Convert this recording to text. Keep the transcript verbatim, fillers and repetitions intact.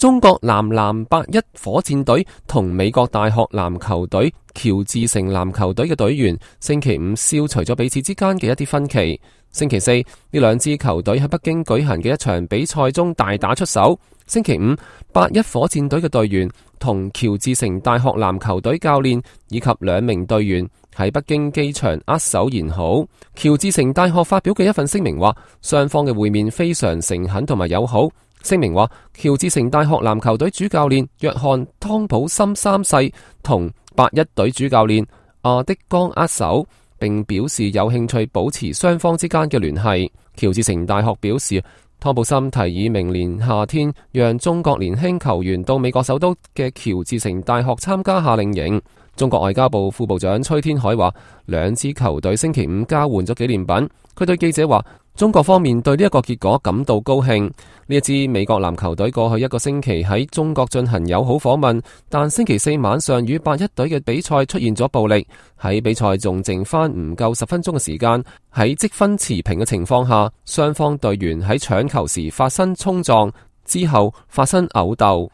中國男籃八一火箭隊同美國大學籃球隊喬治城籃球隊嘅隊員星期五消除咗彼此之間嘅一啲分歧。星期四，呢兩支球隊喺北京舉行嘅一場比賽中大打出手。星期五，八一火箭隊嘅隊員同喬治城大學籃球隊教練以及兩名隊員喺北京機場握手言好。喬治城大學發表嘅一份聲明話，雙方嘅會面非常誠懇同埋友好。聲明話，喬治城大學籃球隊主教練約翰湯普森三世同八一隊主教練阿迪江握手，並表示有興趣保持雙方之間嘅聯繫。喬治城大學表示，湯普森提議明年夏天讓中國年輕球員到美國首都嘅喬治城大學參加夏令營。中國外交部副部長崔天凱話，兩支球隊星期五交換咗紀念品。佢對記者話，中國方面對呢一個結果感到高興。呢一支美國籃球隊過去一個星期喺中國進行友好訪問，但星期四晚上與八一隊嘅比賽出現咗暴力。喺比賽仲剩翻唔夠十分鐘嘅時間，喺積分持平嘅情況下，雙方隊員喺搶球時發生衝撞，之後發生毆鬥。